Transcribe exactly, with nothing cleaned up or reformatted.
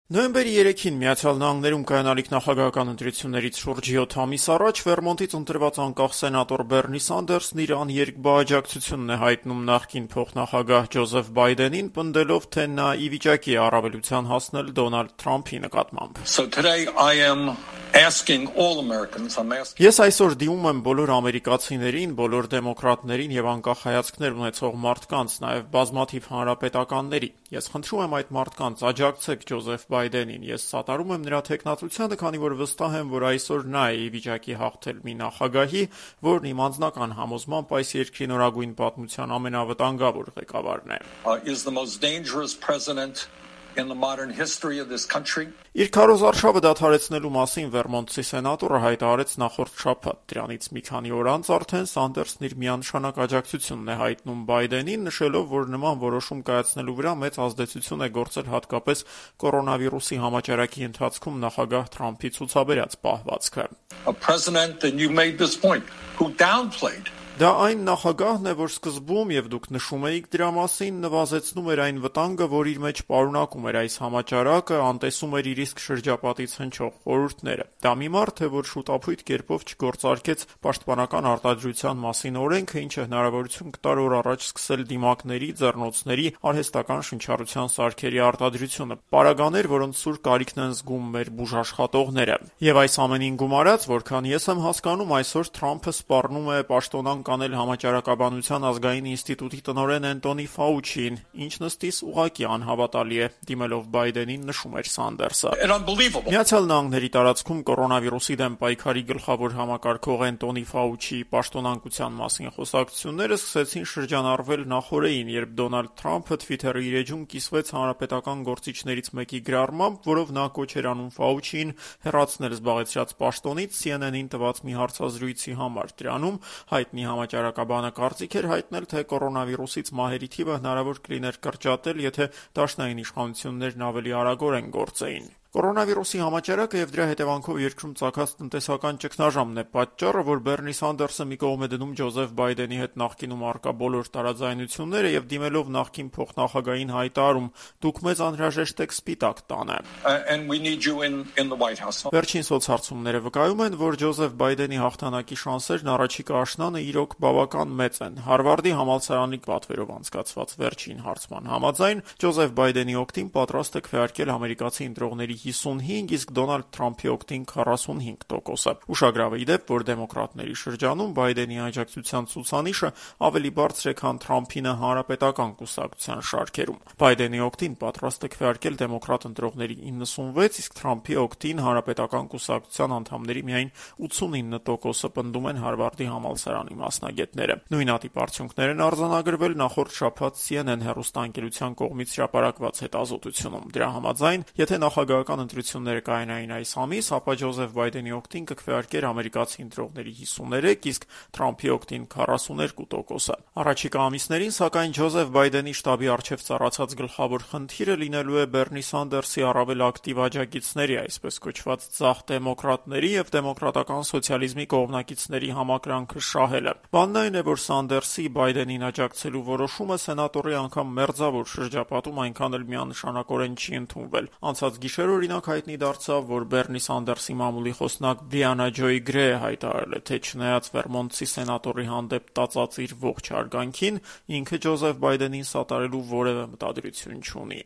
Նոյեմբերի երեքին Միացյալ Նահանգներում կայանալիք նախագահական ընտրություններից շուրջ յոթ ամիս առաջ Վերմոնտից ընտրված անկախ սենատոր Բեռնի Սանդերսն իր աներկբա աջակցությունն է հայտնում նախկին փոխնախագահ Ջոզեֆ Բայդենին, պնդելով, թե նա ի վիճակի է առավելության հասնել Դոնալդ Թրամփի նկատմամբ. So today I am asking all Americans, I'm asking... Ես այսօր դիմում եմ բոլոր ամերիկացիներին, բոլոր դեմոկրատներին եւ անկախ հայացքներ ունեցող մարդկանց, նաեւ բազմաթիվ հանրապետականների. Ես խնդրում եմ այդ մարդկանց աջակցեք Ջոզեֆ Բայդենին. Ես սատարում եմ նրա թեկնածությանը, քանի որ վստահ եմ, որ այսօր նա է ի վիճակի հաղթել մի նախագահի, որն իմ անձնական համոզմամբ այս երկրի նորագույն պատմության ամենավտանգավոր ղեկավարն է. uh, is the most dangerous president in the modern history of this country. Իր քարոզարշավը դադարեցնելու մասին Վերմոնտցի սենատորը հայտարարեց նախորդ շաբաթ. Դրանից մի քանի օր անց արդեն Սանդերսն իր միանշանակ աջակցությունն է հայտնում Բայդենին, նշելով, որ նման որոշում կայացնելու վրա մեծ ազդեցություն է գործել հատկապես կորոնավիրուսի համաճարակի ընթացքում նախագահ Թրամփի ցուցաբերած պահվածքը. A president, and you made this point, who downplayed Դա այն նախագահն է, որ սկզբում, եւ դուք նշում էիք դրա մասին, նվազեցնում էր այն վտանգը, որ իր մեջ պարունակում էր այս համաճարակը, անտեսում էր իր իսկ շրջապատից հնչող խորհուրդները. Դա մի մարդ է, որ շուտապույտ կերպով չգործարկեց պաշտպանական արտադրության մասին օրենքը, ինչը հնարավորություն կտար օր առաջ սկսել դիմակների, ձեռնոցների, արհեստական շնչառության սարքերի արտադրությունը, պարագաներ, որոնց սուր կարիքն են զգում մեր բուժաշխատողները։ Եվ այս ամենին գումարած, որքան ես եմ հասկանում, այսօր Թրամփը սպառնում է պաշտոնան կանել համաճարակաբանության ազգային ինստիտուտի տնօրեն Էնտոնի Ֆաուչիին, ինչն ըստիս ուղղակի անհավատալի է, դիմելով Բայդենին նշում էր Սանդերսը. Միացյալ Նահանգների տարածքում կորոնավիրուսի դեմ պայքարի գլխավոր համակարգող Էնտոնի Ֆաուչիի պաշտոնանկության մասին խոսակցությունները սկսեցին շրջանառվել նախօրեին, երբ Դոնալդ Թրամփը Թվիթերի իր էջում կիսվեց հանրապետական գործիչներից մեկի գրառմամբ, որով նա կոչ էր անում Ֆաուչիին հեռացնել զբաղեցրած պաշտոնից սի են են-ին տված մի հարցազրույցի համար։ Դրանում հայտնի Համաճարակաբանը կարծիք էր հայտնել, թե կորոնավիրուսից մահերի թիվը հնարավոր կլիներ կրճատել, եթե դաշնային իշխանություններն ավելի արագորեն գործեին։ Կորոնավիրուսի համաճարակը եւ դրա հետևանքով երկրում ծագած տնտեսական ճգնաժամն է պատճառը, որ Բեռնի Սանդերսը մի կողմ է դնում Ջոզեֆ Բայդենի հետ նախկինում առկա բոլոր տարաձայնությունները եւ դիմելով նախկին փոխնախագահին հայտարարում. «Դուք մեզ անհրաժեշտ եք Սպիտակ տանը»։ Վերջին սոցհարցումները վկայում են, որ Ջոզեֆ Բայդենի հաղթանակի շանսերն առաջիկա աշնանը իրոք բավական մեծ են։ Հարվարդի համալսարանի պատվերով անցկացված վերջին հարցման համաձայն Ջոզեֆ Բայդենի օգտին պատրաստ է քվեարկել ամերիկացի ընտրողների հիսունհինգ, իսկ Դոնալդ Թրամփի օգտին քառասունհինգ տոկոսը։ Ուշագրավ է ի դեպ, որ դեմոկրատների շրջանում Բայդենի աջակցության ցուցանիշը ավելի բարձր է, քան Թրամփինը հանրապետական կուսակցության շարքերում։ Բայդենի օգտին պատրաստ է քվեարկել դեմոկրատ ընտրողների իննսունվեց, իսկ Թրամփի օգտին հանրապետական կուսակցության անդամների միայն ութսունինը տոկոսը, պնդում են Հարվարդի համալսարանի մասնագետները։ Նույնատիպ արդյունքներ են արձանագրվել նախորդ շաբաթ սի են են հեռուստաընկերության կողմից հրապարակված հետազոտությունում։ Դրա համաձայն, եթե նախագահական ընտրությունները կայանային այս ամիս, ապա Ջոզեֆ Բայդենի օգտին կքվեարկեր ամերիկացի ընտրողների հիսուններեք, իսկ Թրամփի օգտին քառասուներկու տոկոսը։ Առաջիկա ամիսներին, սակայն, Ջոզեֆ Բայդենի շտաբի առջև ծառացած գլխավոր խնդիրը լինելու է Բեռնի Սանդերսի առավել ակտիվ աջակիցների, այսպես կոչված ձախ դեմոկրատների եւ դեմոկրատական սոցիալիզմի կողմնակիցների համակրանքը շահելը։ Բանն այն է, որ Սանդերսի Բայդենին աջակցելու որոշումը սենատորի անգամ մերձավոր շրջապատում այնքան էլ միանշանակորեն չի ընդունվել։ Անցած գիշեր օրինակ հայտնի դարձավ, որ Բեռնի Սանդերսի մամուլի խոսնակ Բրիանա Ջոյ Գրեյը հայտարարել է, թե չնայած Վերմոնտցի սենատորի հանդեպ տածած իր ողջ հարգանքին, ինքը Ջոզեֆ Բայդենին սատարելու որևէ մտադրություն չունի։